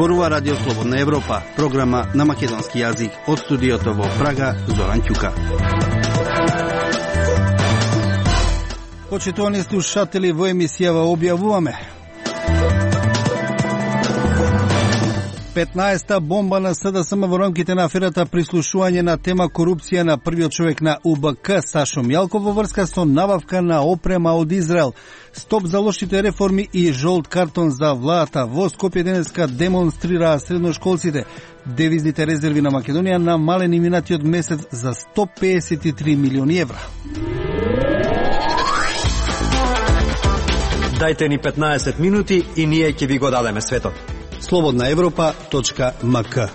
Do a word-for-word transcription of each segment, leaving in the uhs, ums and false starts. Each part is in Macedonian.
Зборува Радио Слободна Европа, програма на македонски јазик. Од студиото во Прага, Зоран Ќука. Почитувани слушатели, во емисијава објавуваме: петнаесета бомба на СДСМ во рамките на аферата прислушување на тема корупција на првиот човек на У Б К Сашо Мјалков во врска со набавка на опрема од Израел. Стоп за лошите реформи и жолт картон за владата. Во Скопје денеска демонстрираа средношколците. Девизните резерви на Македонија намалени минатиот месец за сто пеесет и три милиони евра. Дајте ни петнаесет минути и ние ќе ви го дадеме светот. слободна европа точка м к.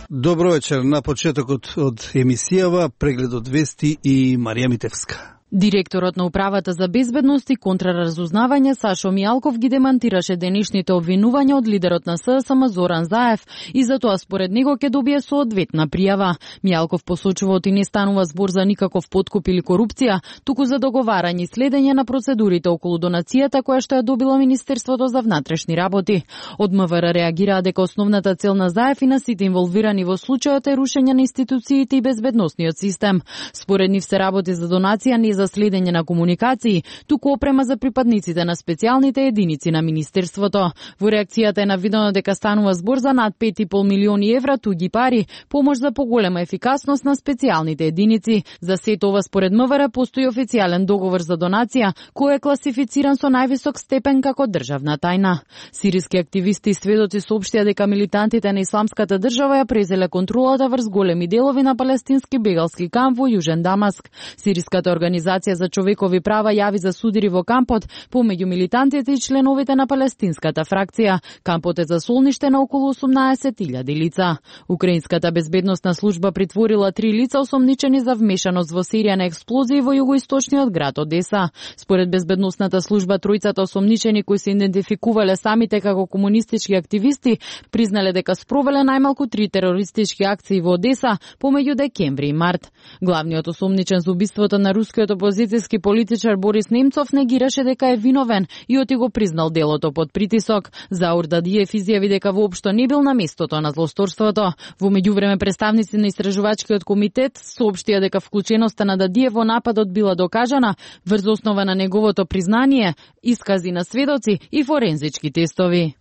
Добро вечер. На почетокот од емисијава прегледот вести и Марија Митевска. Директорот на Управата за безбедност и контраразузнавање Сашо Мјалков ги демантираше денешните обвинувања од лидерот на СДСМ Зоран Заев и затоа според него ќе добие соодветна пријава. Мјалков посочува оти не станува збор за никаков подкуп или корупција, туку за договарање и следење на процедурите околу донацијата која што ја добило Министерството за внатрешни работи. Од М В Р реагираа дека основната цел на Заев и на сите инволвирани во случајот е рушење на институциите и безбедносниот систем. Според нив се работи за донација не за следење на комуникации, туку опрема за припадниците на специјалните единици на Министерството. Во реакцијата е навидено дека станува збор за над пет и пол милиони евра туги пари, помош за поголема ефикасност на специјалните единици. За сето ова според М В Р постои официјален договор за донација, кој е класифициран со највисок степен како државна тајна. Сириски активисти и сведоци соопштија дека милитантите на Исламската држава ја презеле контролата врз големи делови на палестински бегалски камп во Јужен Дамаск. Сириската организација за човекови права јави за судири во кампот помеѓу милитантите и членовите на палестинската фракција. Кампот е за солниште на околу осумнаесет илјади лица. Украинската безбедносна служба притворила три лица осомничени за вмешаност во серија на експлозии во југоисточниот град Одеса. Според безбедносната служба, тројцата осомничени кои се идентификувале самите како комунистички активисти признале дека спровеле најмалку три терористички акции во Одеса помеѓу декември и март. Главниот осомничен за убиството на рускиот опозицијски политичар Борис Немцов негираше дека е виновен и оти го признал делото под притисок. Заур Дадиев изјави дека воопшто не бил на местото на злосторството. Во меѓувреме представници на истражувачкиот комитет соопштија дека вклученоста на Дадиев во нападот била докажана врз основа на неговото признание, искази на сведоци и форензички тестови.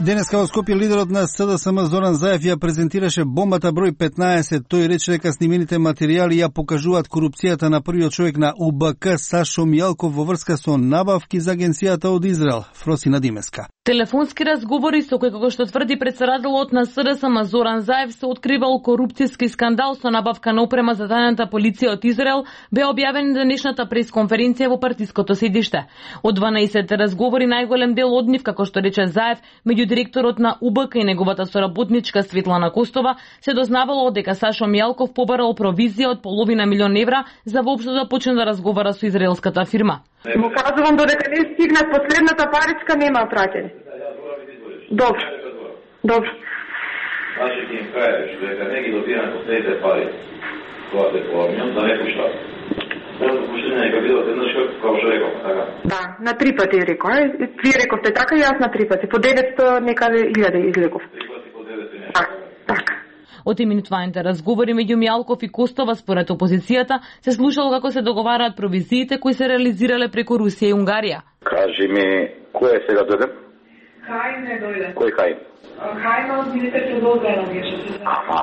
Денеска во Скопје лидерот на СДСМ Зоран Заев ја презентираше бомбата број петнаесет. Тој рече дека снимените материјали ја покажуваат корупцијата на првиот човек на У Б К Сашо Мјалков во врска со набавки за агенцијата од Израел. Фросина Димеска. Телефонски разговори со кој, како што тврди претседателот на СДСМ Зоран Заев, се откривал корупцијски скандал со набавка на опрема за тајната полиција од Израел, бе објавен денешната пресконференција во партиското седиште. Од дванаесет разговори најголем дел од нив, како што рече Заев, меѓу директорот на У Б К и неговата соработничка Светлана Костова, се дознавало дека Сашо Мјалков побарал провизија од половина милион евра за воопшто да почне да разговара со израелската фирма. Му кажувам додека не стигнат последната паричка нема праќање. Добро. Добро. Значи ти им кажеш дека не ги добивам последните пари, кога се помням, да не пуштат. Тоа пуштање нека бидат еднаш како што реков, така? Да, на три пати реков. Вие рековте така и јас на три пати. По деветсто некаде илјади излеков. Три пати по деветсто нешто. Так, така. Од именуваните разговори меѓу Мјалков и Костова според опозицијата се слушало како се договараат провизиите кои се реализирале преку Русија и Унгарија. Кажи ми, кој е сега дојде? Хајм не дојде. Кој Хајм? Хајм од Министерството за одбрана беше. Аха.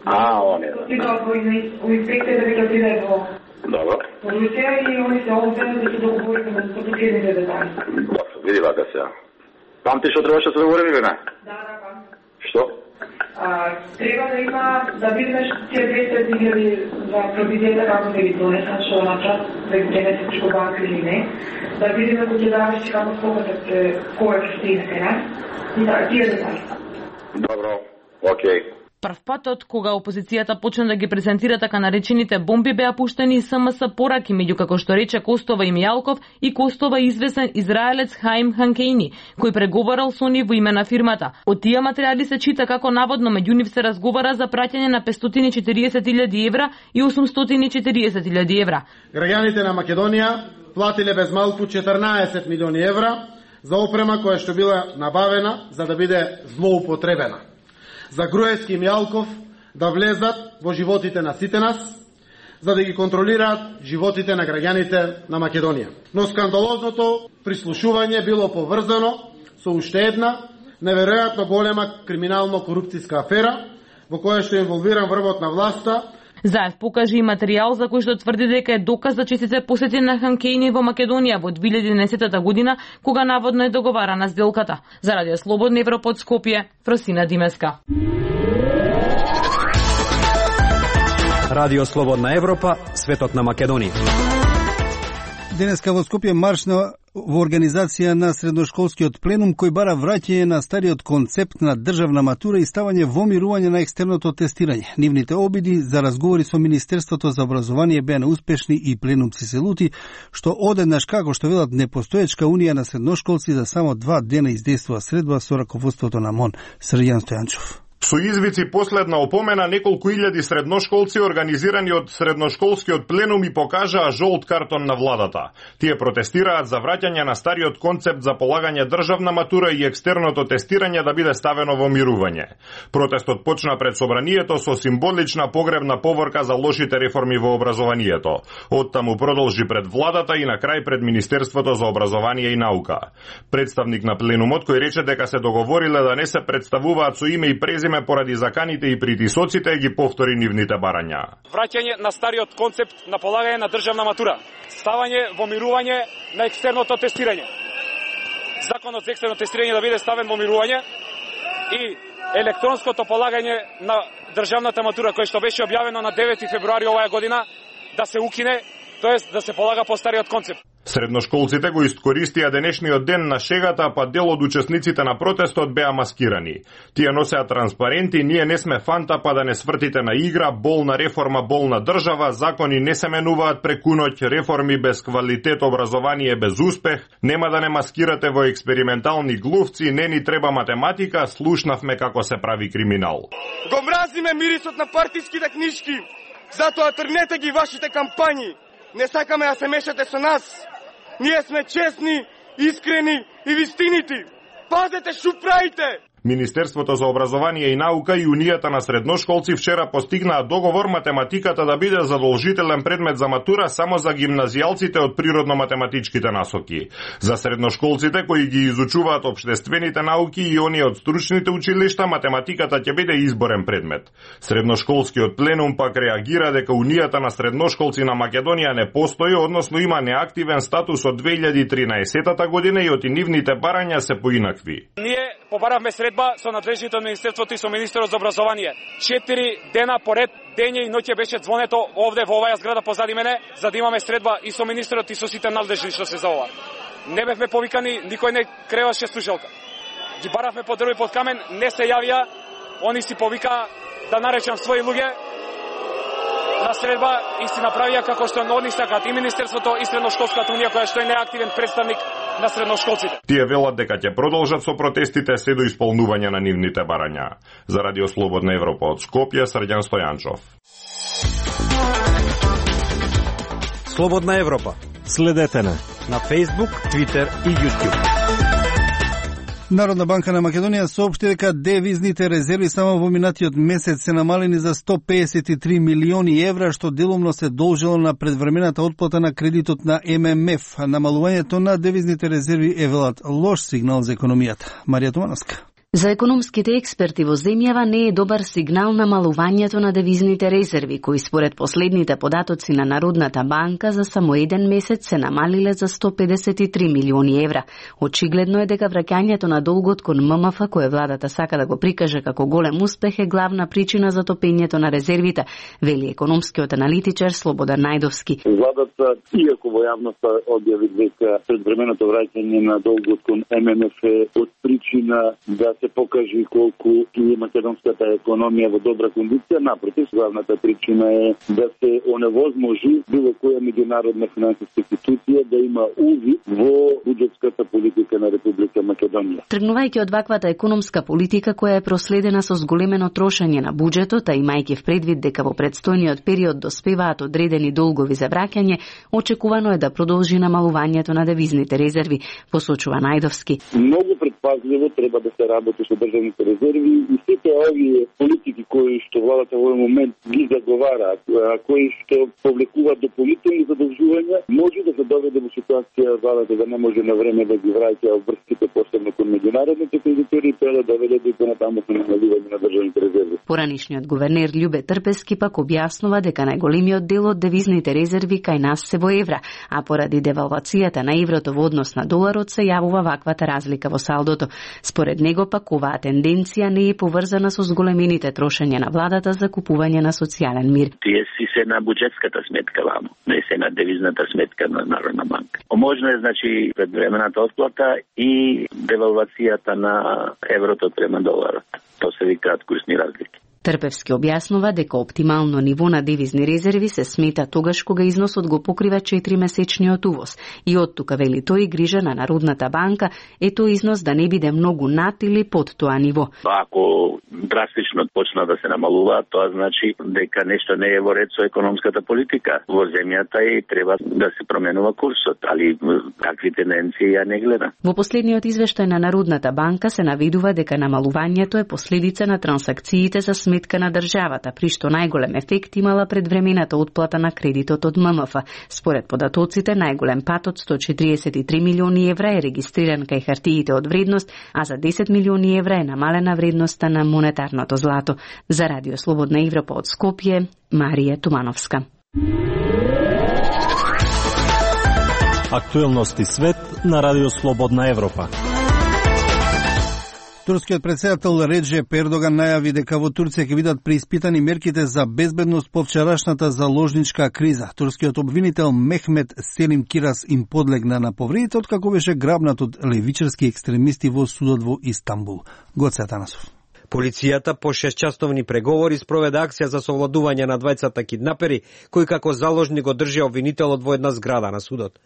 А, он е. Сега во инспекција да веќе отиде во Добро. во Русија и они се овде да се договориме за последните детали. Добро, види вака сега. Памти што требаше да се договориме, не? Да, да, памти. Што? А, треба да има, да видиш тие двесте илјади за провизијата како да ги донесат, што начат, да ги денесе прeko банка или не, да видиме кој ќе даваш и како скопатат кој ќе стигне сега, и да, тие детали. Добро, окей. Прв патот, кога опозицијата почна да ги презентира така наречените бомби, беа пуштени и СМС пораки, меѓу како што рече Костова и Мјалков, и Костова известен израелец Хаим Ханкеини, кој преговарал со нив во име на фирмата. Од тие материјали се чита како наводно меѓу нив се разговара за праќање на петстотини и четириесет илјади евра и осумстотини и четириесет илјади евра. Граѓаните на Македонија платиле без малку четрнаесет милиони евра за опрема која што била набавена за да биде злоупотребена. За Груевски и Мијалков да влезат во животите на сите нас, за да ги контролираат животите на граѓаните на Македонија. Но скандалозното прислушување било поврзано со уште една неверојатно голема криминално-корупцијска афера во која што е инволвиран врвот на власта. Заев покажи и материјал за кој што тврди дека е доказ за честите посети на Ханкејни во Македонија во две илјади и еднаесетта година, кога наводно е договарана сделката. За Радио Слободна Европа од Скопје, Фросина Димеска. Радио Слободна Европа, светот на Македонија. Денеска во Скопје марш на во организација на средношколскиот пленум кој бара враќање на стариот концепт на државна матура и ставање во мирување на екстерното тестирање. Нивните обиди за разговори со Министерството за образование беа неуспешни и пленумци се лути, што одеднаш, како што велат, непостоечка унија на средношколци за само два дена издействува средба со раководството на МОН. Срđan Стојанчов. Со извици последна опомена, неколку илјади средношколци организирани од средношколскиот пленум и покажаа жолт картон на владата. Тие протестираат за враќање на стариот концепт за полагање државна матура и екстерното тестирање да биде ставено во мирување. Протестот почна пред собранието со символична погребна поворка за лошите реформи во образованието. Оттаму продолжи пред владата и на крај пред Министерството за образование и наука. Представник на пленумот кој рече дека се договориле да не се представуваат со име и презиме поради заканите и притисоците, ги повтори нивните барања. Враќање на стариот концепт на полагање на државна матура, ставање во мирување на екстерното тестирање. Законот за екстерно тестирање да биде ставен во мирување и електронското полагање на државната матура, кој што беше објавено на девети февруари оваа година, да се укине, тоест да се полага по стариот концепт. Средношколците го искористија денешниот ден на шегата, па дел од учесниците на протестот беа маскирани. Тие носеа транспаренти: "Ние не сме фанта, па да не свртите на игра, болна реформа, болна држава, закони не се менуваат преку ноќ, реформи без квалитет, образование без успех, нема да не маскирате во експериментални глувци, не ни треба математика, слушнавме како се прави криминал." Го мразиме мирисот на партиските книжки, затоа тргнете ги вашите кампањи. Не сакаме да се мешате со нас. Ние сме честни, искрени и вистинити. Пазете што правите! Министерството за образование и наука и Унијата на средношколци вчера постигнаа договор математиката да биде задолжителен предмет за матура само за гимназијалците од природно-математичките насоки. За средношколците кои ги изучуваат општествените науки и оние од стручните училишта, математиката ќе биде изборен предмет. Средношколскиот пленум пак реагира дека Унијата на средношколци на Македонија не постои, односно има неактивен статус од две илјади и тринаесетта година и оти нивните барања се поинакви. Ние побаравме средба со надлежните од Министерството и со Министерот за образование. Четири дена поред, дење и ноќе беше звонето овде во оваа зграда позади мене, за да имаме средба и со министерот и со сите надлежни што се за ова. Не бевме повикани, никој не креваше слушалка. Ги баравме под дрво и под камен, не се јавија, они си повика да наречам своји луѓе на средба и си направија како што они сакат и Министерството и Средношколската унија која што е неактивен представник на средношколците. Тие велат дека ќе продолжат со протестите се до исполнување на нивните барања. За Радио Слободна Европа од Скопје, Срđan Стојанчов. Слободна Европа. Следете на на Facebook, Twitter и YouTube. Народна банка на Македонија соопшти дека девизните резерви само во минатиот месец се намалени за сто песет и три милиони евра, што делумно се должело на предвремената отплата на кредитот на Ем Ем Еф. Намалувањето на девизните резерви е, велат, лош сигнал за економијата. Марија Тумановска. За економските експерти во земјава не е добар сигнал намалувањето на девизните резерви, кои според последните податоци на Народната банка за само еден месец се намалиле за сто педесет и три милиони евра. Очигледно е дека враќањето на долгот кон Ем Ем Еф, кое владата сака да го прикаже како голем успех, е главна причина за топењето на резервите, вели економскиот аналитичар Слободан Најдовски. Владата, иако во јавноста објави дека предвременото враќање на долгот кон Ем Ем Еф е од причина да се покажи колку и македонската економија во добра кондиција. Напротив, главната причина е да се оневозможи било која меѓународна финансиска институција да има увид во буџетската политика на Република Македонија. Тргнувајќи од ваквата економска политика која е проследена со зголемено трошење на буџетот, а имајќи в предвид дека во предстојниот период доспеваат одредени долгови за враќање, очекувано е да продолжи намалувањето на девизните резерви, посочува Најдовски. Многу предпазливо треба да се работи со државните резерви и сите овие политики кои што владата во овој момент ги заговараат, кои што повлекуваат дополнителни задолжувања, може да се доведе во ситуација владата да не може на време да ги враќа обврските, посебно кон меѓународните кредитори, тоа да доведе до понатамошно намалување на државните резерви. Поранишниот гувернер Љубе Трпески пак објаснува дека најголемиот дел од девизните резерви кај нас се во евра, а поради девалвацијата на еврото во однос на доларот се јавува ваквата разлика во салдото. Според него пак оваа тенденција не е поврзана со зголемените трошење на владата за купување на социјален мир. Тие си се на буџетската сметка вамо, не се на девизната сметка на Народна банка. Можно е, значи, предвремената отплата и девалвацијата на еврото према доларот. Тоа се викаат курсни разлики. Трпевски објаснува дека оптимално ниво на девизни резерви се смета тогаш кога износот го покрива четиримесечниот увоз и од тука, вели тој, грижа на Народната банка е тој износ да не биде многу над или под тоа ниво. Ако драстично почна да се намалува, тоа значи дека нешто не е во ред со економската политика во земјата и треба да се променува курсот, али какви тенденции ја не гледа. Во последниот извештај на Народната банка се навидува дека намалувањето е последица на трансакциите за сметка на државата, при што најголем ефект имала предвремената отплата на кредитот од М М Ф. Според податоците, најголем пат од сто четириесет и три милиони евра е регистриран кај хартиите од вредност, а за десет милиони евра е намалена вредноста на монетарното злато. За Радио Слободна Европа од Скопје, Марија Тумановска. Актуелности свет на Радио Слободна Европа. Турскиот председател Реджеп Ердоган најави дека во Турција ќе бидат преиспитани мерките за безбедност по вчерашната заложничка криза. Турскиот обвинител Мехмет Селим Кирас им подлегна на повредите откако беше грабнат од левичарски екстремисти во судот во Истанбул. Гоце Атанасов. Полицијата по шестчасовни преговори спроведе акција за совладување на двајцата киднапери, кои како заложник го држи обвинителот во една зграда на судот.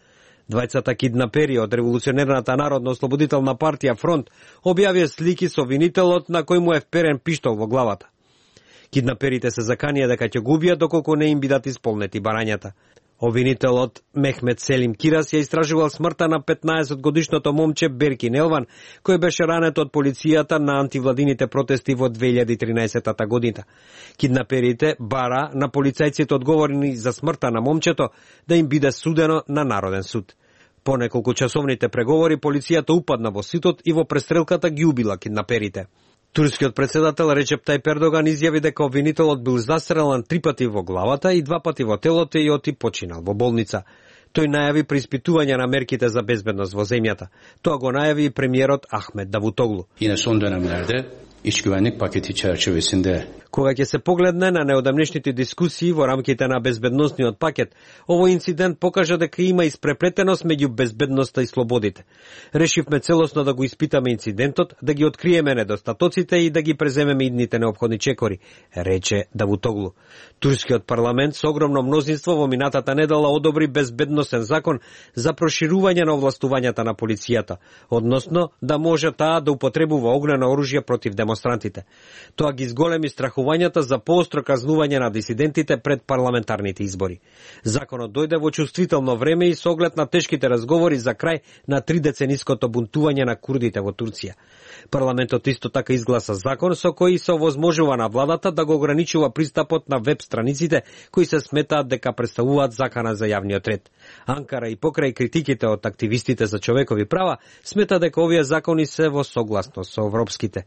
Двајцата киднапери од Револуционерната народно-ослободителна партија Фронт објавија слики со обвинителот на кој му е вперен пиштол во главата. Киднаперите се заканија дека ќе го убијат доколку не им бидат исполнети барањата. Обвинителот Мехмет Селим Кирас ја истражувал смртта на петнаесетгодишното момче Беркин Елван, кој беше ранет од полицијата на антивладините протести во две илјади и тринаесета година. Киднаперите бара на полицајците одговорни за смртта на момчето да им биде судено на Народен суд. По неколку часовните преговори полицијата упадна во ситот и во престрелката ги убила киднаперите. Турскиот председател Реджеп Тајип Ердоган изјави дека обвинителот бил застрелан три пати во главата и два пати во телото и оти починал во болница. Тој најави преиспитување на мерките за безбедност во земјата. Тоа го најави и премиерот Ахмет Давутоглу. Yine son dönemlerde iç güvenlik paketi çerçevesinde Кога ќе се погледне на неодамнешните дискусии во рамките на безбедносниот пакет, овој инцидент покажа дека има испреплетеност меѓу безбедноста и слободите. Решивме целосно да го испитаме инцидентот, да ги откриеме недостатоците и да ги преземеме идните неопходни чекори, рече Давутоглу. Турскиот парламент со огромно мнозинство во минатата недела одобри безбедносен закон за проширување на овластувањата на полицијата, односно да може таа да употребува огнено оружје против демонстрантите. Тоа ги зголеми страхувањата за поостро казнување на дисидентите пред парламентарните избори. Законот дојде во чувствително време и со оглед на тешките разговори за крај на тридецениското бунтување на курдите во Турција. Парламентот исто така изгласа закон со кој се овозможува на владата да го ограничува пристапот на веб страниците кои се сметаат дека представуваат закана за јавниот ред. Анкара и покрај критиките од активистите за човекови права смета дека овие закони се во согласност со европските.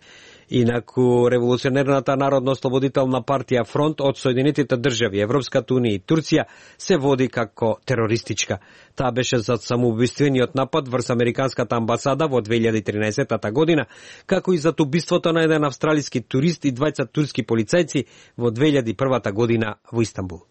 Инаку Револуционерната народно-ослободителна партија Фронт од Соединетите држави, Европската унија и Турција се води како терористичка. Таа беше за самоубиствениот напад врз американската амбасада во две илјади и тринаесета година, како и за убиството на еден австралиски турист и двајца турски полицајци во две илјади и прва година во Истанбул.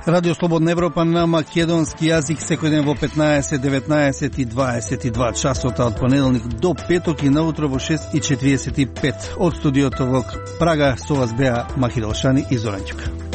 Радио Слободна Европа на македонски јазик секој ден во петнаесет, деветнаесет и дваесет и два часот од понеделник до петок и наутро во шест и четириесет и пет. Од студиото во Прага со вас беа Махидол Шани и Зоран Ќука.